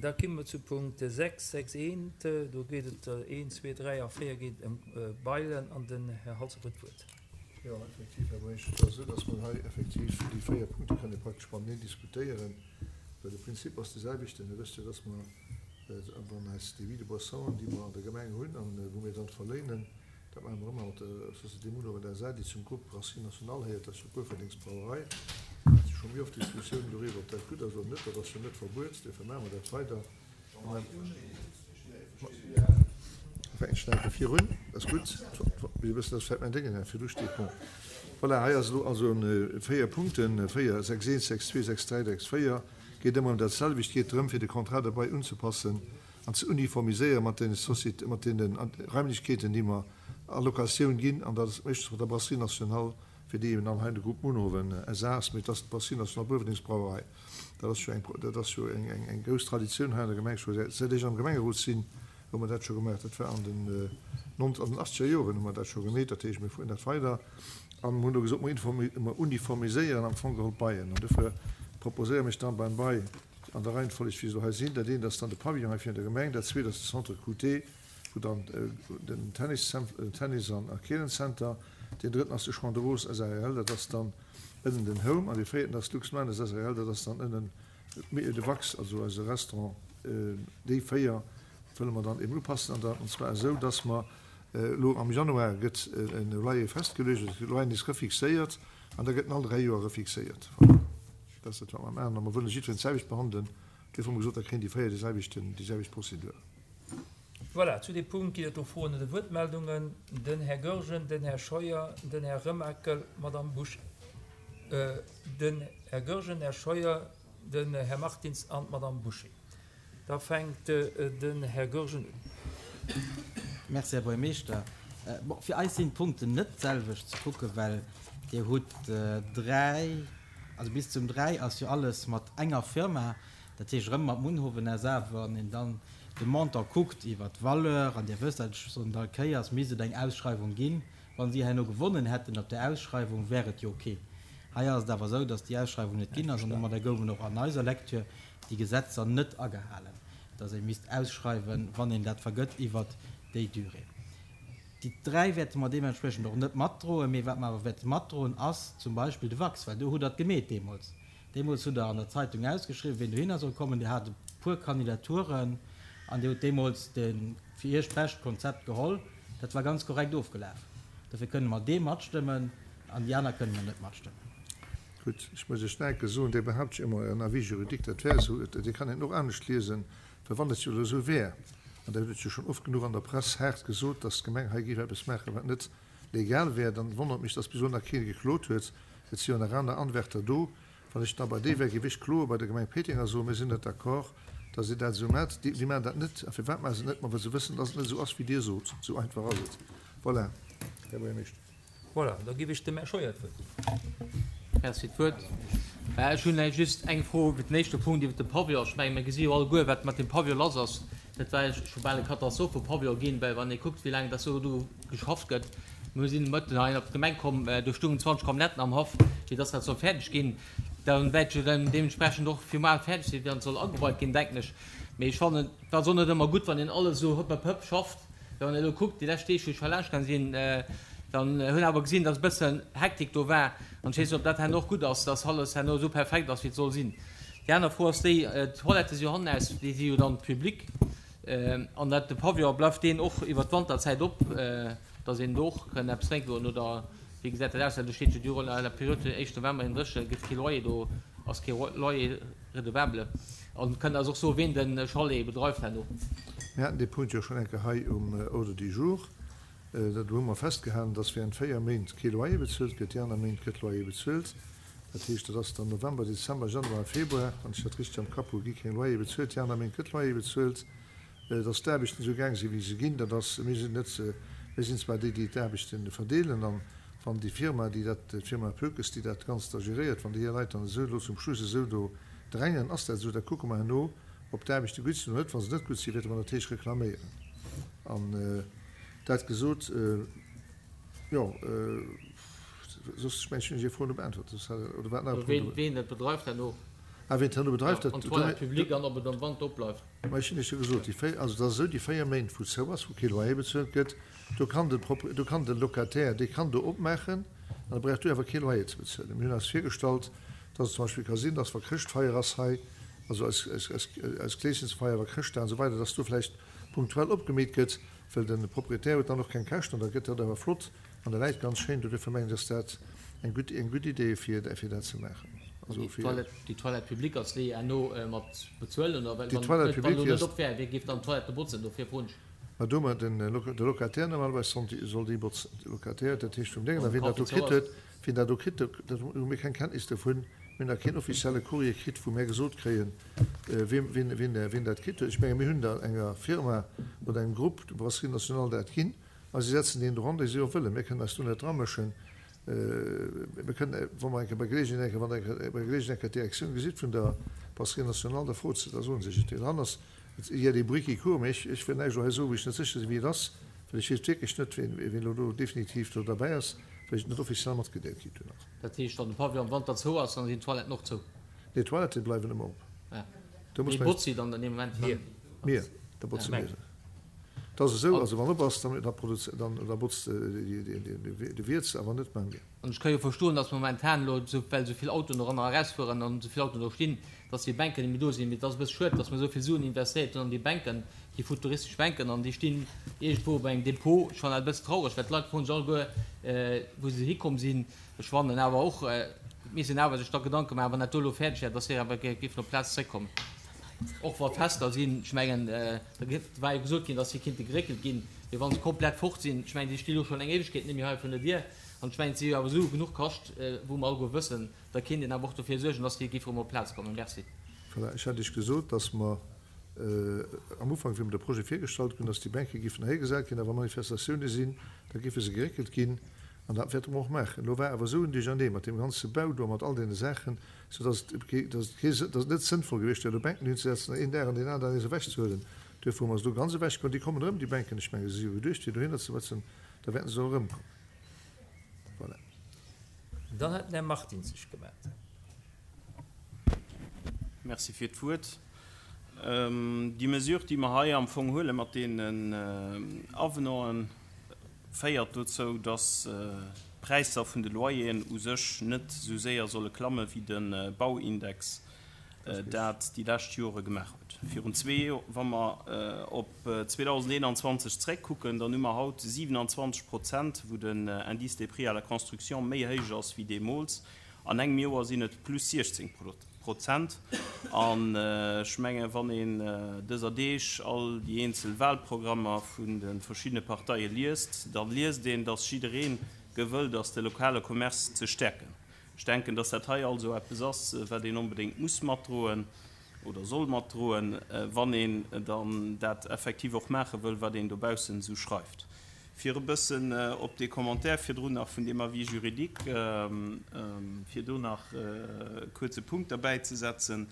Da komme mer zu Punkt 6, 6 eent. Do geet et, 1, 2, 3 a 4 geet ëm Bailen an den Här Halsdorf huet d'Wuert. Jo, effektiv, Här Buergermeeschter, et ass esou, dass mer hei effektiv déi 4 Punkte kënne praktesch mateneen diskutéieren, well de Prinzip ass de selwechten. Dir wësst jo, dass mer, wann eis Débits de boissons, déi mer an der Gemeng hunn an wou mir dann verléinen, Dat maache mer ëmmer mat der Société Munhowen SA. déi zum Grupp Brasserie Nationale héiert. Dat ass jo d'Bourverdengsbrauerei. Et si scho méi oft Diskussiounen doriwwer, ob dat gutt ass oder net. Dat ass jo net verbuet, duerfir maache mer dat weider. Fänken ech nach eng Kéier virun, dat ass gutt. Mir wëssen, dass vläicht mäin Déngen hei virdu steet. Bon, voilà, hei ass elo also 4 Punkten, 4, 6, 1, 6, 2, 6, 3, 6, 4, geet ëmmer ëm dat selwecht, geet drëm, fir de Contrat de bail unzepassen an ze uniformiséiere mat deene Société, mat deene Raimlechkeeten, déi mer a Locatioun ginn, an dat ass meeschtens mat der Brasserie Nationale, fir déi eben dann hei de Groupe Munhowen SA ass, mee et ass d'Brasserie Nationale Bourverdengsbrauerei. Dat ass jo eng, dat ass jo eng, eng, eng grouss Traditioun hei an der Gemeng, scho säit ech am Gemengerot sinn, hu mer dat scho gemaach. Dat war an den nont, an den achtzeger Joren hu mer dat scho gemeet. Dat heescht, mir fueren dat weider an mer hunn do gesot, mer uniformiséieren am Fong geholl d'Baien. An dofir proposéiere mech dann beim Bail, An der Reihenfolleg wéi se elo hei sinn, dat eent ass dann de Pavillon hei virun der Gemeng, dat zweet ass de Centre QT, wou dann den Tennis, Tennis an a Keelenzenter, deen drëtten ass de Champ de Roses SARL, dat ass dann ënnen den Home, an dee véierten ass d'Luxmanes SARL, dat ass dann ënnen de Wax, also eise Restaurant. Déi 4 wëlle mer dann eben upassen, an dann, an zwar esou, dass mer elo am Januar gëtt e Loyer festgeluecht, also de Loyer nees refixéiert, an da gëtt en all 3 Joer refixéiert. Voilà. Dat ass dat, wat mer maachen. A mer wëlle jiddwereen d'selwecht behandelen. Duerfir hu mer gesot, da kréien déi 4 déi selwechten, déi selwecht Prozedur. Voilà, zu deem Punkt ginn et do Froen oder Wuertmeldungen. Den Här Goergen, den Här Scheuer, den Här Remakel, d'Madame Busch, den Här Goergen, Här Scheuer, den Här Martins an d'Madame Bouché. Da fänkt den Här Goergen un. Merci, Här Buergermeeschter. Bon, fir eis sinn d'Punkten net d'selwecht ze kucken, well Dir hutt 3, also bis zum 3 ass jo alles mat enger Firma, dat heescht erëm mat Munhowen SA. Wann een dann de Montant kuckt iwwer d'Valeur, an Dir wësst dat, ech soen et all Kéiers, misst et eng Ausschreiwung ginn. Wa si herno gewonnen hätten op där Ausschreiwung, wär et jo ok. Hei ass et awer esou, datt déi Ausschreiwung net ginn ass an domadder goufen och an eiser Lecture déi Gesetzer net agehalen, datt ee misst ausschreiwen, wann een dat vergëtt iwwert déi Durée. Déi 3 wäerte mer deementspriechend och net matdroen. Mee wat mer awer wäerte matdroen, ass zum Beispill de Wachs, well do hutt Der et gemeet deemools. Deemools hutt Der an der Zeitung ausgeschriwwen, wien dohinner soll kommen. Dir hat e puer Kandidaturen an Dir hutt deemools de fir Iech bescht Konzept geholl. Dat war ganz korrekt ofgelaf. Dofir kënne mer dee matstëmmen an déi aner kënne mer net matstëmmen. Gutt, ech muss Iech nach eng Kéier soen, Dir behaupt jo ëmmer, en Avis juridique, dat wär esou. Dir kann een och anescht liesen, well wann et jo elo esou wär, an Der hutt et jo schonn oft genuch an der Press haart gesot, dass d'Gemeng hei géif eppes maachen, wat net legal wär, dann wonnert mech, dass bis elo nach kee geklot huet. Et si jo nach aner Anwärter do. Wann ech da bei déi wär, géif ech kloe bei der Gemeng Péteng a soen, Mir sinn net d'accord, dass Dir dat esou maacht. Déi maachen dat net. A firwat maache se et net? Ma well se wëssen, dass et net esou ass, wéi Dir sot. Esou einfach ass et. Voilà, Här Buergermeeschter. Voilà, da géif ech dem Här Scheuer d'Wuert ginn. Merci fir d'Wuert. Ech hunn just eng Fro iwwer den éischte Punkt, iwwer de Pavillon. Ech menge mir gesi jo alleguer, wat mat deem Pavillon lass ass. Dat war jo scho bal eng Katastroph vum Pavillon ginn, well wann ee kuckt, wéi laang dass do do geschafft gëtt. Mir sinn de Mëtten hei op d'Gemeng komm, do stungen 20 Camionnetten am Haff, fir dass dat soll fäerdeg ginn. Dann wäert jo dann deementsprechend och final fäerdeg sinn, wann et soll ageweit ginn, denken ech. Mee ech fannen, et ass och net ëmmer gutt, wann een alles esou hëpp hëpp hëpp schafft. Wann een elo kuckt, déi lescht Deeg, wou ech hei laanscht gaang sinn, dann hunn awer gesinn, dass e bëssen Hektik do war. An ech weess net, ob dat herno och gutt ass, dass alles herno esou perfekt ass, wéi et soll sinn. Déi aner Fro ass déi, d'Toilettë si jo hannenaus, déi si jo dann public. An dat, de Pavillon, bleift deen och iwwert d'Wanterzäit op, dass een do och kënn eppes drénke goen? Oder wéi gesäit dat aus? Well do steet jo, durant la période vun den éischten November hin dréche gëtt kee Loyer, do ass kee Loyer redevable. An kënnt eis och soen, ween de Chalet bedreift herno? Mir haten dee Punkt jo schonn eng Kéier hei um Ordre du jour. Do hu mer festgehalen, dass während 4 Méint kee Loyer bezuelt gëtt. Déi aner Méint gëtt Loyer bezuelt. Dat heescht, dat ass dann November, Dezember, Januar a Februar, wann ech dat richteg am Kapp hu, gi keng Loyer bezuelt. Déi aner Méint gëtt Loyer bezuelt. Dass d'Aarbechten esou gaang sinn, wéi se ginn, dat ass, mir sinn net, mir sinn zwar déi, déi d'Aarbechte verdeelen, an wann déi Firma, déi dat, d'Firma Poekes, déi dat Ganzt da geréiert, wann déi hir Leit dann esou elo zum Schluss esou do drängen, ass dat esou, da kucke mer herno, ob d'Aarbechte gutt sinn oder net. Wa se net gutt sinn, wäerte mer natierlech reklaméieren. An dat gesot, jo, soss, ech mengen, ech hunn Är Fro elo beäntwert, soss hat, oder war et nach e Punkt? Ween dat bedreift herno? Ah, wien d'herno bedreift, dat. An d'Toilette publique an ob et am Wanter opbleift. Ma ech hunn Iech jo gesot, déi 4, also et ass esou, déi 4 Méint, wou zou ass, wou kee Loyer bezuelt gëtt, do kann de Propri, do kann de Locataire, dee kann do opmaachen an e brauch do awer kee Loyer ze bezuelen. Mir hunn eis virgestallt, dass et zum Beispill ka sinn, dass wa Chrëschtfeier ass hei, also eis, eis, eis, eis Kleeschensfeier, wa Chrëschtdag an esou weider, dass do vläicht punktuell opgemeet gëtt, well de Proprietär huet dann och keng Käschten an da gëtt dat awer flott an da läit ganz schéin do. Duerfir mengen ech, ass dat eng gutt, eng gutt Idee fir, fir dat ze maachen. Also fir. Déi Toilette publique ass déi herno mat bezuelen oder? Well Déi wann Toilette wann elo publique, déi net ass. op wär, wie géif dann d'Toilette botzen? Dofir froen ech. Mä do hu mer den, de Locataire normalerweis soll déi, soll déi botzen, de Locataire, dat heescht vum Déngen. A wien dat do kritt huet, wien dat do kritt, do, dat hu mir keng Kenntnis dovun. Mir hunn nach keen offizielle Courrier kritt, wou mär gesot kréien, wien, wien, wien, wien dat kritt huet. Ech menge mir hunn der enger Firma oder engem Grupp, der Brasserie Nationale, dat ginn a si setzen deen dran, dee si och wëllen. Mir kënnen eis do net dramëschen. Mir kënnen, wa mer eng Kéier bei Geleegenheet eng Kéier, wann Der eng Kéier bei Geleegenheet eng Kéier d'Direktioun gesitt vun der Brasserie Nationale, da frot se, da soen se Iech et. Deen dran ass, il y a des bruits qui courent, mee ech, ech wëll näischt elo hei soen, wou ech net sécher sinn, wéi et ass, well ech weess wierklech net, wien, wien elo do definitiv do derbäi ass, well ech et net offiziell matgedeelt kritt hunn nach. Dat heescht, wann de Pavillon am Wanter zou ass, dann sinn d'Toiletten och zou? Nee, d'Toilettë bleiwen ëmmer op. Ah. Do muss Wee botzt si dann an deem Moment? Mir. Mir, da botze mir se. Et ass esou, also wann op ass, dann, da produz-, dann, da botzt de Wiert se, awer net mä mir. An ech ka jo verstoen, dass momentan elo, esou, well esou vill Autoen doranner erausfueren an esou vill Autoen do stinn, dass déi Bänken net méi do sinn. Mee et ass e bësse schued, dass mer esou vill Suen investéiert hunn an déi Bänken, déi futuristesch Bänken, an déi stinn iergendwou op engem Depot. Ech fannen dat e bësse traureg, well d'Leit froen sech alleguer, wou se hikomm sinn. Ech fannen awer och, et misst een awer sech da Gedanke maachen, wann dat do elo fäerdeg wär, dass déi awer géifen op d'Plaz zréckkommen, och wa Fester sinn. Ech mengen, da war jo gesot ginn, dass déi kinnte geréckelt ginn, mee wa se komplett fort sinn, ech mengen, déi sti lo schonn eng Éiwegkeet net méi hei virun der Dier, an ech mengen, et si jo awer Sue genuch kascht, wou mer alleguer wëssen, da kéint een awer och dofir suergen, dass déi géife rëm op d'Plaz kommen. Merci. Voilà, ech hat Iech gesot, dass mer am Ufank, wéi mer de Projet virgestallt hunn, dass déi Bänke géifen heigesat ginn, a wa Manifestatioune sinn, da géife se geréckelt ginn. An dat wäerte mer och maachen. Elo war awer esou en Duerchernee mat deem ganze Bau do a mat all deene Saachen, soudass et, dass et kee, dass et net sënnvoll gewiescht wär, do Bänken hinzesetzen an een Dag an deen aneren Dag nees ewechzehuelen. Duerfir hu mer se do ganz ewechgeholl. Déi kommen erëm, déi Bänken. Ech menge se si jo geduecht, fir dohinner ze sëtzen. Da wäerten se och erëmkommen. Voilà. Dann hat den Här Martin sech gemellt. Merci fir d'Wuert. Déi Mesure, déi mer hei am Fong huele mat deenen Avenanten, féiert dozou, dass d'Präisser vun de Loyeren u sech net esou séier solle klamme wéi de Bauindex dat déi lescht Jore gemaach huet. Virun zwee, wa mer op 2021 zréckkucken, dann hu mer haut 27 Prozent, wou den Indice des prix à la construction méi héich ass wéi deemools. An engem Joer sinn et plus 16 Prozent. An ech mengen, wann een dëser Deeg all déi eenzel Wahlprogrammer vun de verschiddene Parteie liest, da liest een, dass jidderee gewëllt ass, de lokale Commerce ze stäerken. Ech denken, dass dat hei also eppes ass, wat een onbedéngt muss matdroen oder soll matdroen, wann een dann dat effektiv och maache wëll, wat een dobaussen esou schreift. Fir e bëssen op dee Commentaire virdrun nach vun deem Avis juridique, fir do nach e kuerze Punkt derbäizesetzen,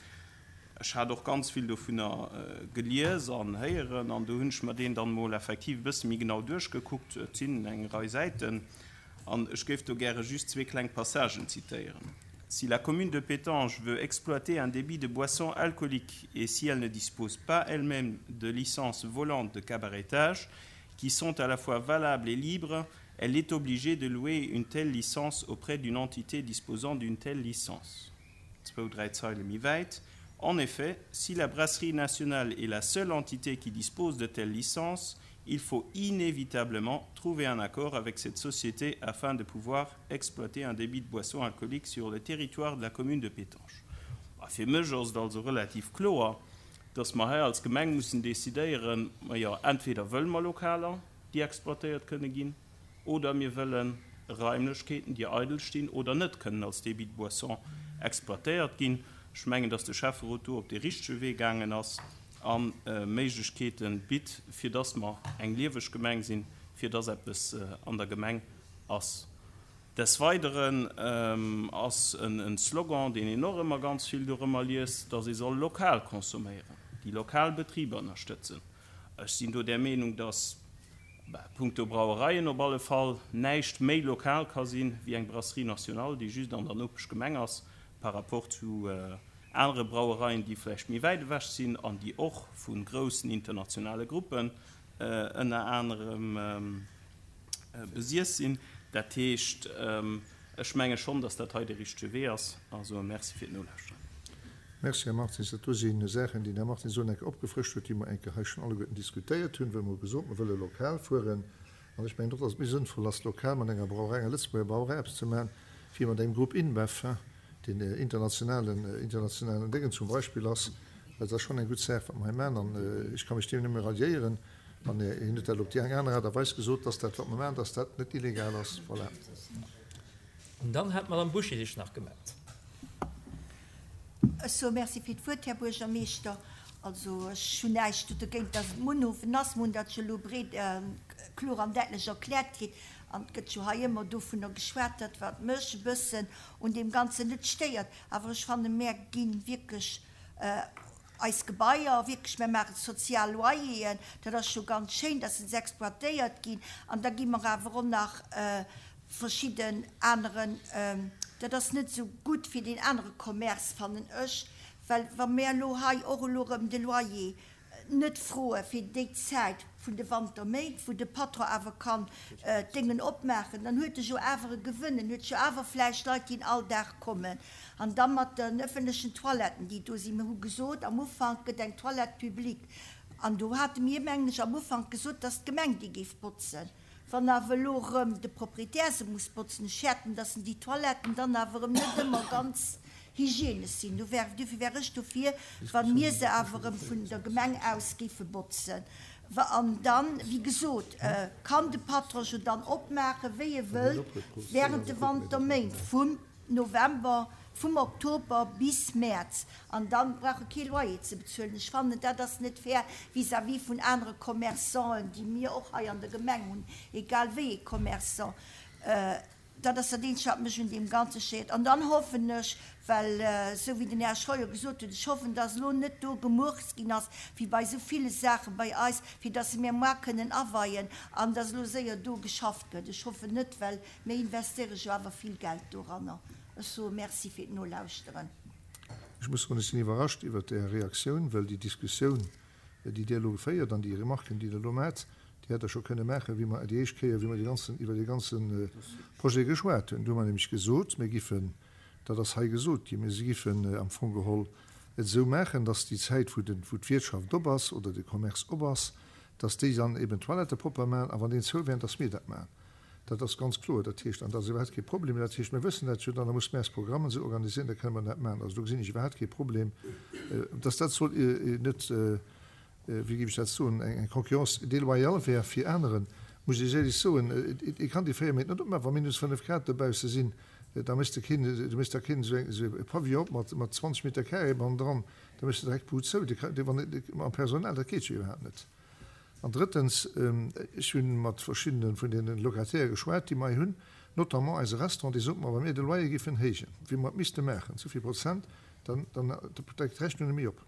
Ech hat och ganz vill dovunner gelies an héieren an do hunn ech mer deen dann emol effektiv e bësse méi genau duerchgekuckt. Et sinn eng Rei Säiten an ech géif do gäre just zwee kleng Passagen zitéieren. Si la commune de Pétange veut exploiter un débit de boissons alcooliques et si elle ne dispose pas elle-même de licences volantes de cabaretage, qui sont à la fois valables et libres, elle est obligée de louer une telle licence auprès d'une entité disposant d'une telle licence. En effet, si la brasserie nationale est la seule entité qui dispose de telles licences, il faut inévitablement trouver un accord avec cette société afin de pouvoir exploiter un débit de boissons alcooliques sur le territoire de la commune de Pétange. Fir mech ass et also relativ kloer, dass mer hei als Gemeng mussen decidéieren, majo, entweder wëlle mer Lokaler, déi exploitéiert kënne ginn, oder mir wëlle Raimlechkeeten, déi eidel stinn oder net kënnen als Débit de boissons exploitéiert ginn. Ech mengen, dass de Schäfferot do op dee richtege Wee gaangen ass a Méiglechkeete bitt, fir dass mer eng lieweg Gemeng sinn, fir dass eppes an der Gemeng ass. Des Weideren ass en Slogan, deen een och ëmmer ganz vill dorëmmer liest, dass ee soll lokal consomméieren, déi lokal Betriber ënnerstëtzen. Ech sinn do där Meenung, dass punkto Brauereien op alle Fall näischt méi lokal ka sinn, wéi eng Brasserie nationale, déi just an der Nopeschgemeng ass, par rapport zu. Anere Brauereien, déi vläicht méi wäit ewech sinn an déi och vu groussen internationale Gruppen ënner anerem besiess sinn. Dat heescht, ech menge schonn, datt dat hei de richtege Wee ass a soe Merci fir d'Nolauschteren. Merci, Här Martins. Dat do si Saachen, déi den Här Martins elo eng Kéier opgefrëscht huet, déi mer eng Kéier hei schonn alleguerten diskutéiert hunn, well mer hu gesot, mer wëlle lokal fueren. An ech mengen och, datt et méi sënnvoll ass, lokal mat enger Brauerei, enger Lëtzebuerger Brauerei eppes ze maachen, wéi mat engem Grupp InBev, deen internationalen, internationalen Déngen zum Beispill ass. Dat ass schonn eng gutt Saach, wat mer hei maachen, an ech ka mech deem nëmme ralliéieren. An hien huet dat op déi eng aner Aart a Weis gesot, dass dat, wat mer maachen, dass dat net illegal ass. Voilà. An dann hat d'Madame Bouché sech nach gemellt. Ech soe Merci fir d'Wuert, Här Buergermeeschter. Also ech hunn näischt do dergéint, dass et Munhofen ass. Mer hunn dat jo elo breet, kloer an däitlech erkläert kritt. An et gëtt jo hei ëmmer dovunner geschwat, dat wat mech e bëssen un deem Ganzen net stéiert, awer ech fannen, mär gi wierklech eis Gebaier, wierklech, mär maachen sozial Loyeren, dat ass jo ganz schéin, dass se exploitéiert ginn, an da gi mer awer och nach verschidden aneren, dat ass net esou gutt fir deen anere Commerce, fannen ech, well wa mär elo hei och elo erëm de Loyer net froe fir déi Zäit vun de Wanterméint, wou de Patron awer kann d'Déngen opmaachen, dann huet e jo awer e Gewënn, en huet jo awer vläicht Leit, déi all Dag kommen. An da mat den ëffentlechen Toiletten, déi do sinn. Mir hu gesot, am Ufank gëtt eng Toilette publique, an do hate mir, mengen ech, am Ufank gesot, dass d'Gemeng déi géif botzen. Wann awer elo erëm de Proprietär se muss botzen, ech fäerten, dass en déi Toiletten dann awer erëm net ëmmer ganz hygienesch sinn. Do wär, duerfir wär ech dofir, wa mir se awer erëm vun der Gemeng aus géife botzen. An dann, wéi gesot, kann de Patron jo dann opmaachen, wéi e wëllt, während de Wanterméint, vum November, vum Oktober bis Mäerz. An dann brauch e kee Loyer ze bezuelen. Ech fannen, dat ass net fair vis-à-vis vun anere Commerçanten, déi mir och hei an der Gemeng hunn, egal wéi ee Commerçant. Dat ass dat Eenzegt, wat mech un deem Ganze stéiert. An dann hoffen ech, well esou wéi den Här Scheuer gesot huet, ech hoffen, dass elo net do gemurkst ginn ass, wéi bei esou ville Saache bei eis, fir dass se mir moar kënnen aweien an dass elo séier do geschafft gëtt. Ech hoffen net, well mir investéiere jo awer vill Geld doranner. Ech soe Merci fir d'Nolauschteren. Ech muss soen, ech sinn iwwerrascht iwwert Är Reaktioun, well déi Diskussioun, déi Dir elo geféiert an déi Remarken, déi Der elo maacht, déi hätt Der scho kënne maachen, wéi mer déi éischt Kéier, wéi mer dee ganzen, iwwer dee ganze Projet geschwat hunn. Do hu mer nämlech gesot, mir giffen, dat ass hei gesot ginn, mir giffen am Fong geholl et esou maachen, dass déi Zäit, wou den, wou d'Wirtschaft op ass oder de Commerce op ass, dass déi dann eben d'Toilettë propper maachen a wann deen zou wär, dass mir dat maachen. Dat ass ganz kloer. Dat heescht, an dat ass iwwerhaapt kee Problem, dat heescht, mir wëssen dat jo dann, da musse mir eis Programmen esou organisieren, da kënne mer dat maachen. Also do gesinn ech iwwerhaapt kee Problem, dass dat soll net, wéi géif ech dat soen, eng Concurrence déloyale wär fir aneren, muss ech éierlech soen. Ee kann déi 4 Méint net opmaachen, wa minus 5 Grad dobausse sinn, da méchs de keen, du méchs da keen esou e Pavillon op mat 20 Meter carré bannendran, da méchs de direkt d'Bud zou, mam Personal, dat geet jo iwwerhaapt net. An drëttens, ech hu mat verschiddene vun deene Locataire geschwat, déi mer hei hunn, notamment eise Restaurant, dee sot mer, wa mir de Loyer géifen héijen, wéi mer et misste maachen, souvill Prozent, dann, dann deckt d'Rechnung net méi op.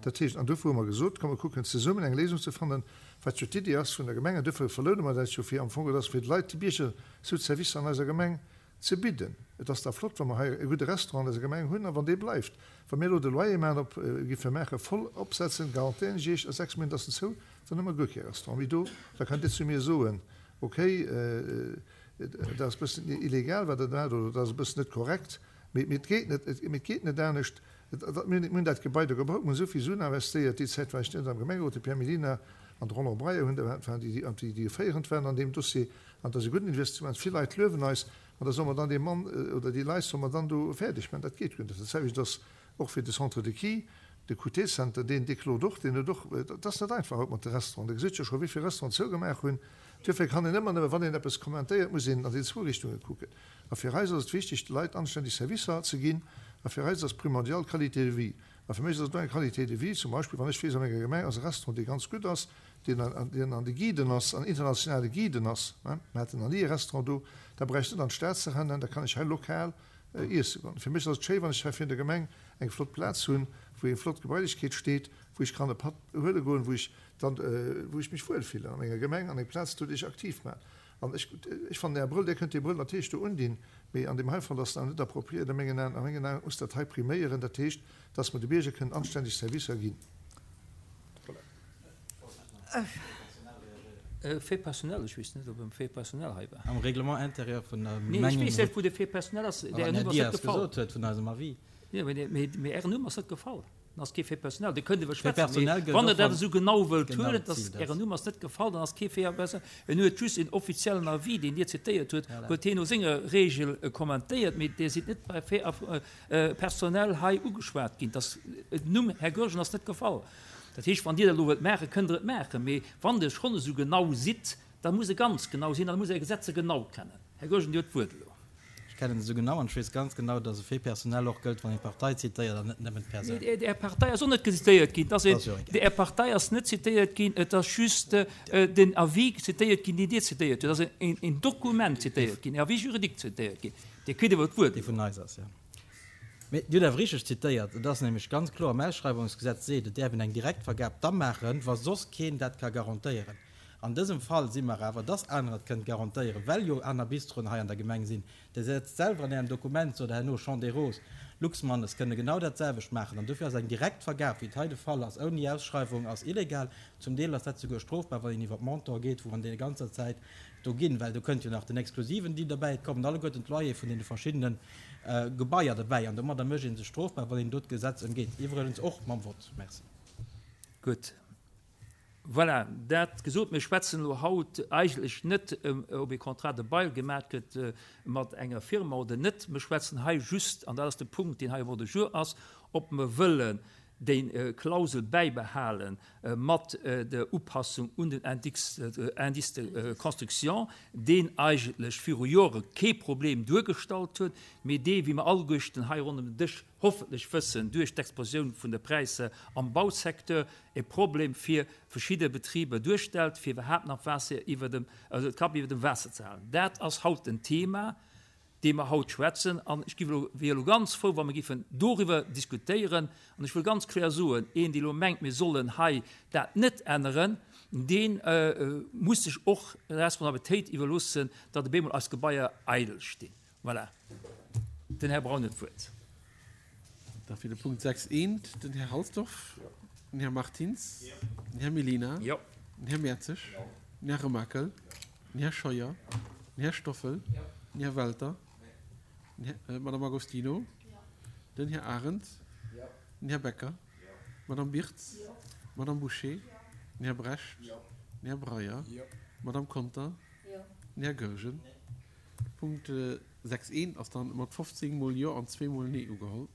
Dat heescht, an dofir hu mer gesot, komm mer kucken zesummen eng Léisung ze fannen, wat jo d'Iddi ass vun der Gemeng, an dofir verloune mer dat jo, fir am Fong, et ass fir d'Leit, déi Bierger sou d'Servicer an eiser Gemeng ze bidden. Et ass da flott, wa mer hei e gudde Restaurant an eiser Gemeng hunn a wann dee bleift. Wa mir elo de Loyer maachen op, giffe maachen, voll opsetzen, garantéieren ech Iech, a 6 Méint ass en zou, dann hu mer guer kee Restaurant méi do. Da kënnt Dir zu mir soen, okay, dat ass e bëssen illegal, wat Der maacht, oder dat ass e bëssen net korrekt, mee et geet net, mee et geet net anescht. Mir hunn dat Gebai do gebaut, mir hunn esou vill Suen investéiert. Déi Zäit war ech net am Gemengerot, de Pierre Mellina an de Roland Breyer hunn, waren déi, déi féierend waren an deem Dossier. An et ass e gudden Investissement. Vill Leit luewen eis. An da solle mer dann dee Mann oder déi Leit solle mer dann do fäerdeg maachen. Dat geet guer net. Dat selwecht ass och fir de Centre de Quai, de QT-Center, deen, dee klot och, deen huet och, et ass net einfach haut mat de Restauranten. Der gesitt jo scho wéi vill Restauranten zougemaach hunn. Duerfir kann een ëmmer nëmme, wann een eppes kommentéiert, muss een an déi zwou Richtunge kucken. A fir eis ass et wichteg, de Leit anständeg Servicer ze ginn. A fir eis ass primordial d'Qualité de vie. A fir mech ass et och eng Qualité de vie, zum Beispill wann ech weess, an enger Gemeng ass e Restaurant, dee ganz gutt ass, deen an de Guiden ass, an internationale Guiden ass, mir haten nach ni e Restaurant do, da brauch ech net an d'Stad ze rennen, da kann ech hei lokal iesse goen. Fir mech ass et schéi, wann ech hei virun der Gemeng eng flott Plaz hunn, wou eng flott Gebailechkeet steet, wou ech kann e Patt huele goen, wou ech dann, wou ech mech wuel fillen a menger Gemeng an eng Plaz do, déi ech aktiv maachen. An ech, ech fannen Är Brëll, Dir kënnt déi Brëll natierlech do undinn, mee an deem hei Fall ass se awer net appropriéiert a mengen Aen. A mengen Aen muss dat hei priméieren, dat heescht, dass mer de Bierger kënnen anständeg Servicer ginn. Voilà. Fait personnel, ech weess net, ob e Fait personnel hei war. Am Règlement intérieur vun der Nee, ech weess net, wou de Fait personnel ass. Ären Numm ass net gefall. Gesot huet vun eisem Avis. Jo, mee Ären Numm ass net gefall. Dann ass kee Fait personnel. Dir kënnt iwwer schwätzen, mee wann Der dat esou genau wëllt huelen, dass Ären Numm ass net gefall, dann ass kee Fait personnel. En huet just en offiziellen Avis, deen Dir zitéiert hutt, huet hien no senger Regel kommentéiert, mee Dir sidd net bei Fait personnel hei ugeschwat ginn. Dass den Numm Här Goergen ass net gefall. Dat heescht, wann Dir dat elo wëllt maachen, kënnt Der et maachen, mee wann Der schonn esou genau sidd, da muss e ganz genau sinn an da muss e Är Gesetzer genau kennen. Här Goergen, Dir hutt d'Wuert elo. Ech kennen se esou genau an ech weess ganz genau, dass e Fait personnel och gëllt, wann een d'Partei zitéiert an net nëmmen d'Persoun. Nee, Är Partei ass och net zitéiert ginn. Dat ass jo egal. Är Partei ass net zitéiert ginn, et ass just den Avis zitéiert ginn, deen Dir zitéiert hutt. Et ass en Dokument zitéiert ginn, en Avis juridique zitéiert ginn. Dir kritt awer d'Wuert Dee vun eis ass, jo. Mee Dir hutt awer richteg zitéiert. Et ass nämlech ganz kloer, am Ausschreiwungsgesetz seet, et däerf een eng Direktvergab da maachen, wa soss keen dat ka garantéieren. An dësem Fall si mer awer, dass anerer et kënnen garantéieren, well jo aner Bistroen hei an der Gemeng sinn. Dir setzt selwer an Ärem Dokument, sot Der herno, Champ des Roses, Luxmannes kënne genau dat selwecht maachen. An dofir ass eng Direktvergab, wéi et hei de Fall ass, ouni Ausschreiwung, ass illegal. Zum Deel ass dat souguer strofbar, wann een iwwer d'Montant geet, wou an deene ganzer Zäit do ginn, well do kënnt jo nach den exklusiven Deal derbäi, et kommen alleguerten d'Loyere vun deene verschiddene Gebaier derbäi an domadder mécht ee sech strofbar, wann een do d'Gesetz ëmgeet, iwwregens och mam Vott. Merci. Gutt. Voilà, dat gesot, mir schwätzen elo haut eigentlech net, ob ee Contrat de bail gemaach gëtt mat enger Firma oder net. Mir schwätzen hei just, an dat ass de Punkt, deen hei am Ordre du jour ass, ob mer wëllen déi Klausel bäibehale mat der Upassung un den Indice de construction, deen eigentlech viru Jore kee Problem duergestallt huet, mee dee, wéi mer alleguerten hei ronderëm den Dësch hoffentlech wëssen, duerch d'Explosioun vun de Präisser am Bausecteur e Problem fir verschidde Betriber duerstellt, fir iwwerhaapt nach Waasser iwwer dem, also d'Kap iwwer dem Waasser ze halen. Dat ass haut den Thema, dee mer haut schwätzen. An ech giff elo, wier elo ganz frou, wa mer giffen doriwwer diskutéieren. An ech wëll ganz kloer soen, een, dee elo mengt, mir sollen hei dat net änneren, dee muss sech och d'Responsabilitéit iwwerloossen, datt op eemol eis Gebaier eidel stinn. Voilà. Den Här Braun huet d'Wuert. Da fir de Punkt 6 eent den Här Halsdorf, den Här Martins, den Här Mellina, den Här Mertzig, den Här Remakel, den Här Scheuer, den Här Stoffel, den Här Welter, d'Madame Agostino, den Här Arendt, den Här Becker, d'Madame Birtz, d'Madame Bouché, den Här Brecht, den Här Breyer, d'Madame Conter, den Här Goergen. Punkt 6 eent ass dann mat 15 mol Jo an zweemol Nee ugeholl.